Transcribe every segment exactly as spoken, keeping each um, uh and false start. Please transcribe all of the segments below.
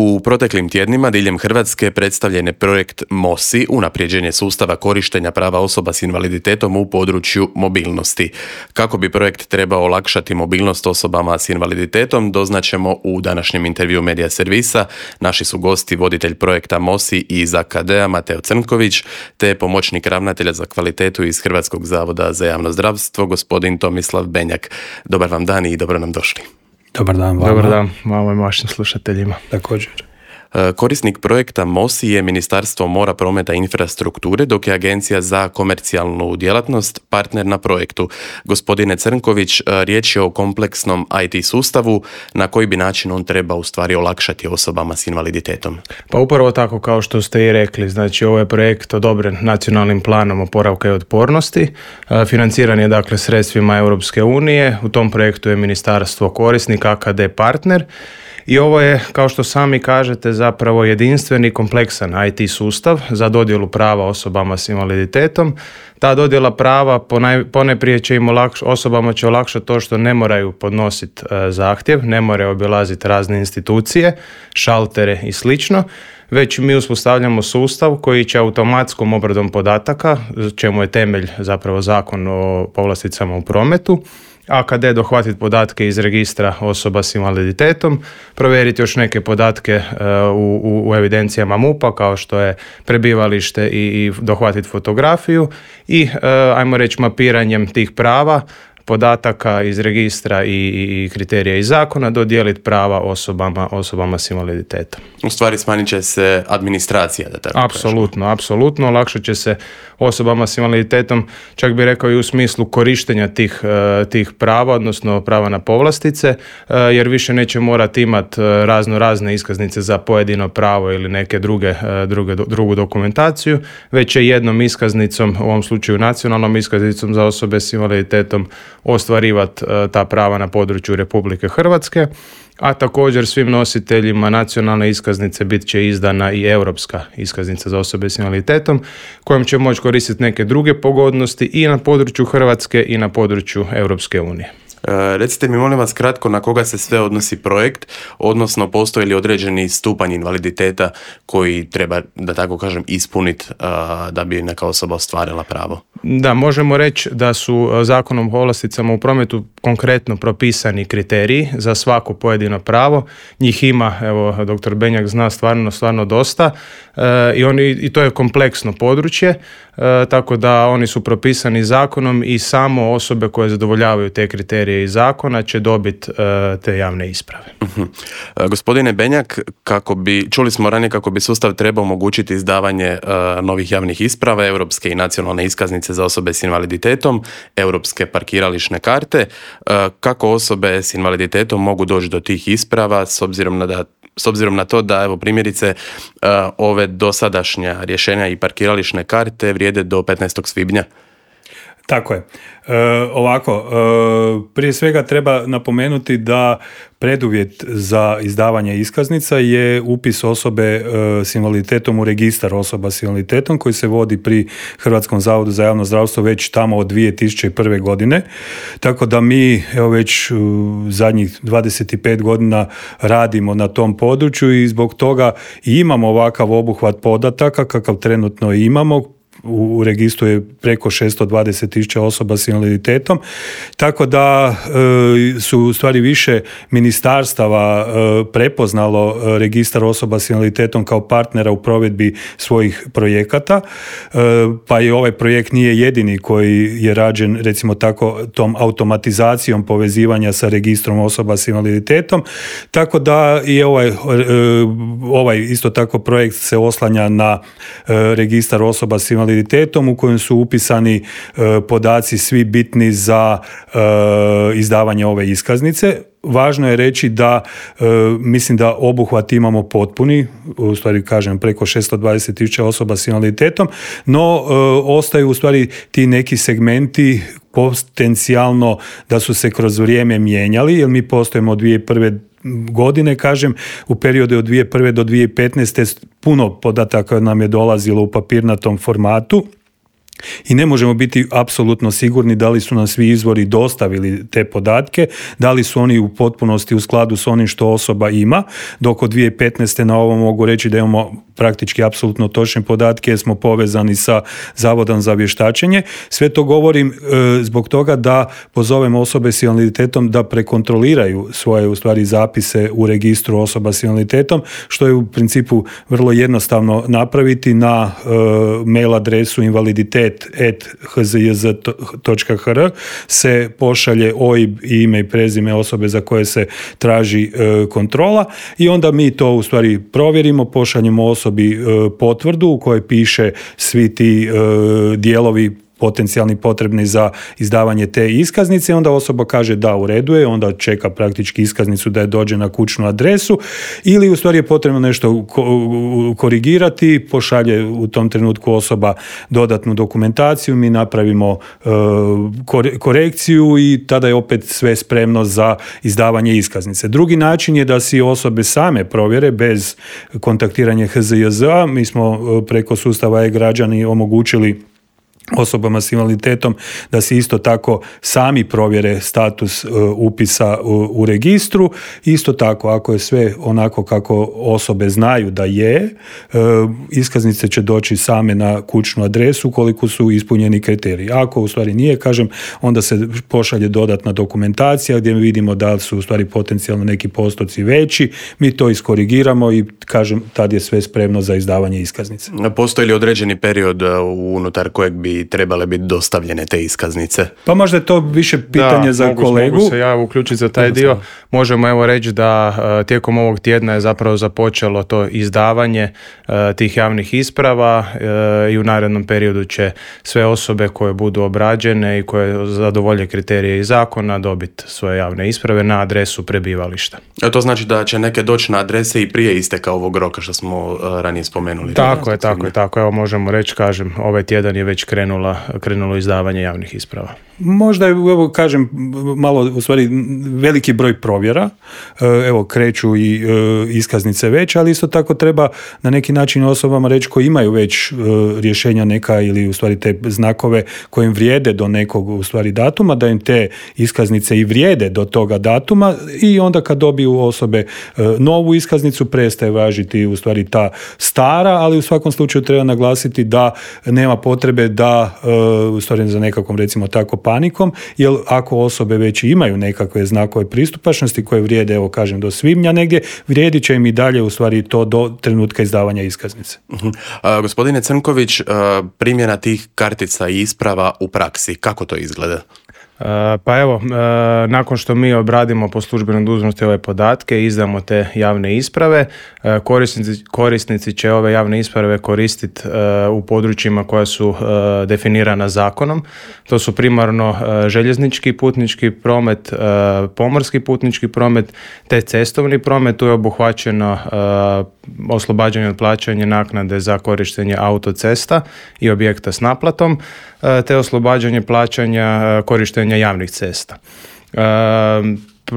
U proteklim tjednima diljem Hrvatske predstavljen je projekt MOSI, unapređenje sustava korištenja prava osoba s invaliditetom u području mobilnosti. Kako bi projekt trebao olakšati mobilnost osobama s invaliditetom, doznaćemo u današnjem intervju Medija servisa. Naši su gosti voditelj projekta MOSI iz A K D-a Mateo Crnković, te pomoćnik ravnatelja za kvalitetu iz Hrvatskog zavoda za javno zdravstvo, gospodin Tomislav Benjak. Dobar vam dan i dobro nam došli. Dobar dan vama. Dobar dan vama i vašim slušateljima. Također. Korisnik projekta MOSI je Ministarstvo mora, prometa i infrastrukture, dok je Agencija za komercijalnu djelatnost partner na projektu. Gospodine Crnković, riječ je o kompleksnom I T sustavu. Na koji bi način on treba u stvari olakšati osobama s invaliditetom? Pa upravo tako kao što ste i rekli, znači ovo je projekt odobren Nacionalnim planom oporavka i otpornosti. Financiran je dakle sredstvima Europske unije. U tom projektu je Ministarstvo korisnik, A K D partner. I ovo je, kao što sami kažete, zapravo jedinstveni kompleksan I T sustav za dodjelu prava osobama s invaliditetom. Ta dodjela prava ponaj, poneprije će im olakš, osobama će olakšati to što ne moraju podnositi e, zahtjev, ne moraju obilaziti razne institucije, šaltere i slično, već mi uspostavljamo sustav koji će automatskom obradom podataka, čemu je temelj zapravo Zakon o povlasticama u prometu, A K D dohvatiti podatke iz registra osoba s invaliditetom, provjeriti još neke podatke uh, u, u evidencijama M U P-a kao što je prebivalište i, i dohvatiti fotografiju i uh, ajmo reći mapiranjem tih prava, podataka iz registra i, i kriterija iz zakona dodijeliti prava osobama, osobama s invaliditetom. U stvari smanjit će se administracija, da tako Apsolutno, apsolutno. Olakšat će se osobama s invaliditetom, čak bi rekao i u smislu korištenja tih, tih prava, odnosno prava na povlastice, jer više neće morati imati razno razne iskaznice za pojedino pravo ili neke druge, druge, drugu dokumentaciju, već će jednom iskaznicom, u ovom slučaju nacionalnom iskaznicom za osobe s invaliditetom, ostvarivati ta prava na području Republike Hrvatske, a također svim nositeljima nacionalne iskaznice bit će izdana i europska iskaznica za osobe s invaliditetom, kojom će moći koristiti neke druge pogodnosti i na području Hrvatske i na području Europske unije. E, recite mi molim vas kratko na koga se sve odnosi projekt, odnosno postoji li određeni stupanj invaliditeta koji treba, da tako kažem, ispuniti da bi neka osoba ostvarila pravo? Da, možemo reći da su Zakonom o povlasticama u prometu konkretno propisani kriteriji za svako pojedino pravo. Njih ima, evo, doktor Benjak zna stvarno, stvarno dosta e, i, oni, i to je kompleksno područje, e, tako da oni su propisani zakonom i samo osobe koje zadovoljavaju te kriterije iz zakona će dobiti e, te javne isprave. Uh-huh. E, gospodine Benjak, kako bi, čuli smo ranije kako bi sustav trebao omogućiti izdavanje e, novih javnih isprava, europske i nacionalne iskaznice za osobe s invaliditetom, europske parkirališne karte. Kako osobe s invaliditetom mogu doći do tih isprava s obzirom na, da, s obzirom na to da, evo, primjerice, ove dosadašnja rješenja i parkirališne karte vrijede do petnaestog svibnja? Tako je. E, ovako, e, prije svega treba napomenuti da preduvjet za izdavanje iskaznica je upis osobe e, s invaliditetom u registar osoba s invaliditetom koji se vodi pri Hrvatskom zavodu za javno zdravstvo već tamo od dvije tisuće prve. godine. Tako da mi evo već u zadnjih dvadeset pet godina radimo na tom području i zbog toga i imamo ovakav obuhvat podataka kakav trenutno imamo. U registru je preko šesto dvadeset tisuća osoba s invaliditetom, tako da e, su u stvari više ministarstava e, prepoznalo registar osoba s invaliditetom kao partnera u provedbi svojih projekata, e, pa i ovaj projekt nije jedini koji je rađen, recimo tako, tom automatizacijom povezivanja sa registrom osoba s invaliditetom, tako da i ovaj, e, ovaj isto tako projekt se oslanja na e, registar osoba s invaliditetom u kojem su upisani e, podaci svi bitni za e, izdavanje ove iskaznice. Važno je reći da e, mislim da obuhvat imamo potpuni, u stvari kažem preko šesto dvadeset tisuća osoba s invaliditetom, no e, ostaju u stvari ti neki segmenti potencijalno da su se kroz vrijeme mijenjali, jer mi postojimo od dvije tisuće prve. godine, kažem, u periodu od dvije tisuće prve. do dvije tisuće petnaeste. puno podataka nam je dolazilo u papirnatom formatu. I ne možemo biti apsolutno sigurni da li su nam svi izvori dostavili te podatke, da li su oni u potpunosti u skladu s onim što osoba ima, dok od dvije tisuće petnaeste na ovo mogu reći da imamo praktički apsolutno točne podatke jer smo povezani sa Zavodom za vještačenje. Sve to govorim e, zbog toga da pozovemo osobe s invaliditetom da prekontroliraju svoje u stvari zapise u registru osoba s invaliditetom, što je u principu vrlo jednostavno napraviti na e, mail adresu invaliditet at h z j z dot h r se pošalje O I B i ime i prezime osobe za koje se traži e, kontrola i onda mi to u stvari provjerimo, pošaljemo osobi e, potvrdu u kojoj piše svi ti e, dijelovi potencijalni potrebni za izdavanje te iskaznice, onda osoba kaže da, u redu je, onda čeka praktički iskaznicu da je dođe na kućnu adresu ili u stvari je potrebno nešto korigirati, pošalje u tom trenutku osoba dodatnu dokumentaciju, mi napravimo e, korekciju i tada je opet sve spremno za izdavanje iskaznice. Drugi način je da si osobe same provjere bez kontaktiranja H Z J Z-a. Mi smo preko sustava e-građani omogućili osobama s invaliditetom da se isto tako sami provjere status uh, upisa u, u registru. Isto tako, ako je sve onako kako osobe znaju da je, uh, iskaznice će doći same na kućnu adresu koliko su ispunjeni kriteriji. Ako u stvari nije, kažem, onda se pošalje dodatna dokumentacija gdje vidimo da su u stvari potencijalno neki postoci veći, mi to iskorigiramo i kažem, tad je sve spremno za izdavanje iskaznice. Postoji li određeni period unutar kojeg bi trebale biti dostavljene te iskaznice? Pa možda je to više pitanje da, za mogu, kolegu. Mogu se ja uključiti za taj dio. Možemo evo reći da uh, tijekom ovog tjedna je zapravo započelo to izdavanje uh, tih javnih isprava uh, i u narednom periodu će sve osobe koje budu obrađene i koje zadovolje kriterije iz zakona dobiti svoje javne isprave na adresu prebivališta. A to znači da će neke doći na adrese i prije isteka ovog roka što smo uh, ranije spomenuli. Tako je, tako je, tako. Evo možemo reći, kažem, ovaj tjedan je već krenula, krenulo izdavanje javnih isprava. Možda je, evo kažem, malo u stvari veliki broj provjera, evo kreću i iskaznice već, ali isto tako treba na neki način osobama reći koji imaju već rješenja neka ili u stvari te znakove kojim vrijede do nekog u stvari datuma, da im te iskaznice i vrijede do toga datuma i onda kad dobiju osobe novu iskaznicu prestaje važiti u stvari ta stara, ali u svakom slučaju treba naglasiti da nema potrebe da u stvari za nekakvom recimo tako panikom, jer ako osobe već imaju nekakve znakove pristupačnosti koje vrijede, evo kažem, do svibnja negdje, vrijedit će im i dalje u stvari to do trenutka izdavanja iskaznice. Uh-huh. A, gospodine Crnković, a, primjena tih kartica i isprava u praksi, kako to izgleda? Pa evo, nakon što mi obradimo po službenoj dužnosti ove podatke i izdamo te javne isprave, korisnici, korisnici će ove javne isprave koristiti u područjima koja su definirana zakonom. To su primarno željeznički putnički promet, pomorski putnički promet te cestovni promet. Tu je obuhvaćeno oslobađanje od plaćanja naknade za korištenje autocesta i objekta s naplatom, te oslobađanje plaćanja korištenja javnih cesta.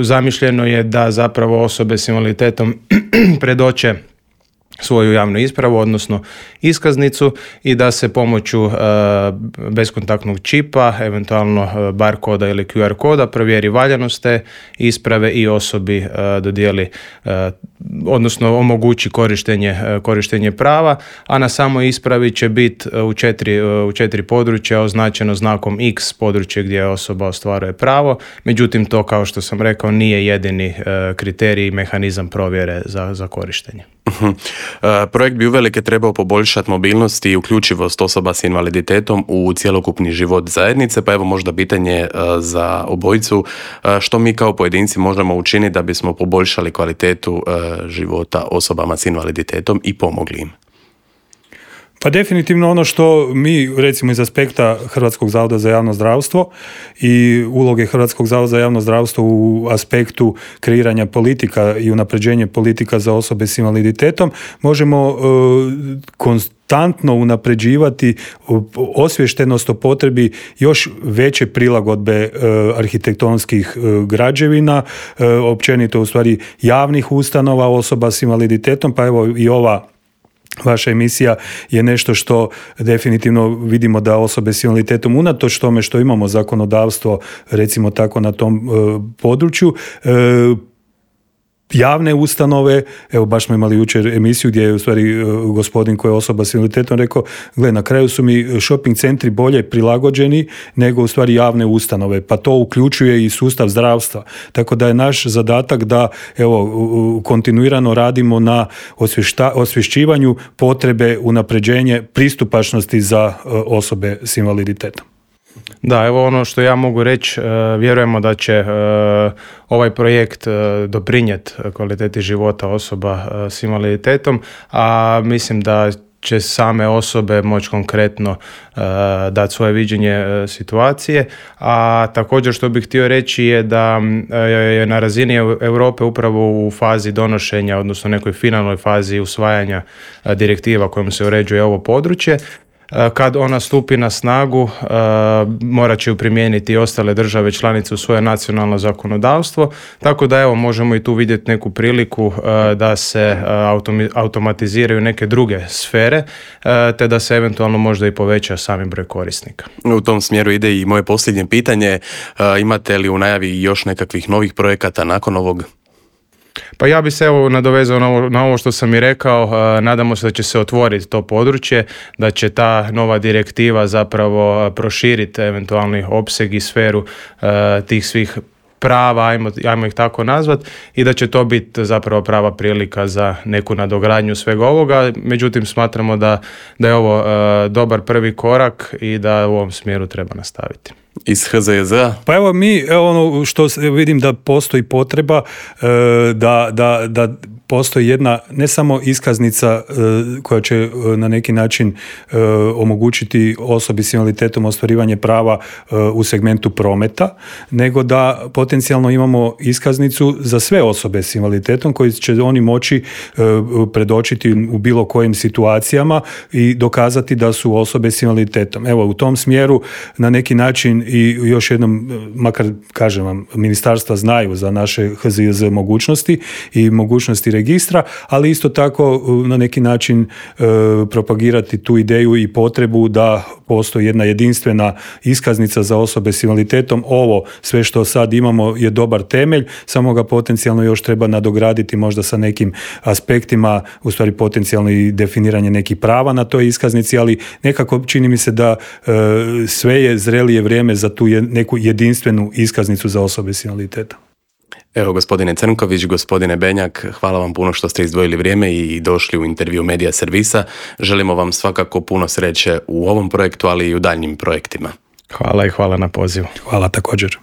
Zamišljeno je da zapravo osobe s invaliditetom predoče svoju javnu ispravu, odnosno iskaznicu i da se pomoću uh, beskontaktnog čipa, eventualno uh, bar koda ili Q R koda provjeri valjanost te isprave i osobi uh, dodijeli, uh, odnosno omogući korištenje, uh, korištenje prava, a na samoj ispravi će biti uh, u, četiri, uh, u četiri područja označeno znakom X područje gdje osoba ostvaruje pravo, međutim to, kao što sam rekao, nije jedini uh, kriterij i mehanizam provjere za, za korištenje. Uh-huh. Uh, projekt bi uvelike trebao poboljšati mobilnost i uključivost osoba s invaliditetom u cjelokupni život zajednice, pa evo možda pitanje uh, za obojicu, uh, što mi kao pojedinci možemo učiniti da bismo poboljšali kvalitetu uh, života osobama s invaliditetom i pomogli im? Pa definitivno ono što mi recimo iz aspekta Hrvatskog zavoda za javno zdravstvo i uloge Hrvatskog zavoda za javno zdravstvo u aspektu kreiranja politika i unapređenje politika za osobe s invaliditetom možemo uh, konstantno unapređivati osviještenost o potrebi još veće prilagodbe uh, arhitektonskih uh, građevina, uh, općenito u stvari javnih ustanova osoba s invaliditetom, pa evo i ova vaša emisija je nešto što definitivno vidimo da osobe s invaliditetom, unatoč tome što imamo zakonodavstvo, recimo tako, na tom e, području, e, javne ustanove, evo baš smo imali jučer emisiju gdje je u stvari gospodin koji je osoba s invaliditetom rekao, gle, na kraju su mi shopping centri bolje prilagođeni nego u stvari javne ustanove, pa to uključuje i sustav zdravstva. Tako da je naš zadatak da evo kontinuirano radimo na osvješta, osvješćivanju potrebe unapređenje pristupačnosti za osobe s invaliditetom. Da, evo ono što ja mogu reći, vjerujemo da će ovaj projekt doprinijeti kvaliteti života osoba s invaliditetom, a mislim da će same osobe moći konkretno uh, dati svoje viđenje uh, situacije, a također što bih htio reći je da uh, je na razini Europe upravo u fazi donošenja, odnosno nekoj finalnoj fazi usvajanja uh, direktiva kojom se uređuje ovo područje. Kad ona stupi na snagu, morat će ju primijeniti i ostale države članice u svoje nacionalno zakonodavstvo, tako da evo možemo i tu vidjeti neku priliku da se automatiziraju neke druge sfere, te da se eventualno možda i poveća sami broj korisnika. U tom smjeru ide i moje posljednje pitanje, imate li u najavi još nekakvih novih projekata nakon ovog? Pa ja bi se evo nadovezao na ovo, na ovo što sam i rekao, nadamo se da će se otvoriti to područje, da će ta nova direktiva zapravo proširiti eventualni opseg i sferu uh, tih svih prava, ajmo, ajmo ih tako nazvat, i da će to biti zapravo prava prilika za neku nadogradnju svega ovoga. Međutim, smatramo da, da je ovo uh, dobar prvi korak i da u ovom smjeru treba nastaviti. Iz H Z Y Z-a? Pa evo mi, evo ono što vidim da postoji potreba, da, da, da postoji jedna, ne samo iskaznica koja će na neki način omogućiti osobi s invaliditetom ostvarivanje prava u segmentu prometa, nego da potencijalno imamo iskaznicu za sve osobe s invaliditetom koji će oni moći predočiti u bilo kojim situacijama i dokazati da su osobe s invaliditetom. Evo, u tom smjeru na neki način i još jednom, makar kažem vam, ministarstva znaju za naše H Z Y Z mogućnosti i mogućnosti registra, ali isto tako na neki način e, propagirati tu ideju i potrebu da postoji jedna jedinstvena iskaznica za osobe s invaliditetom. Ovo sve što sad imamo je dobar temelj, samo ga potencijalno još treba nadograditi možda sa nekim aspektima, u stvari potencijalno i definiranje nekih prava na toj iskaznici, ali nekako čini mi se da e, sve je zrelije vrijeme za tu je, neku jedinstvenu iskaznicu za osobe s invaliditetom. Evo, gospodine Crnković, gospodine Benjak, hvala vam puno što ste izdvojili vrijeme i došli u intervju Medija Servisa. Želimo vam svakako puno sreće u ovom projektu, ali i u daljnjim projektima. Hvala i hvala na pozivu. Hvala također.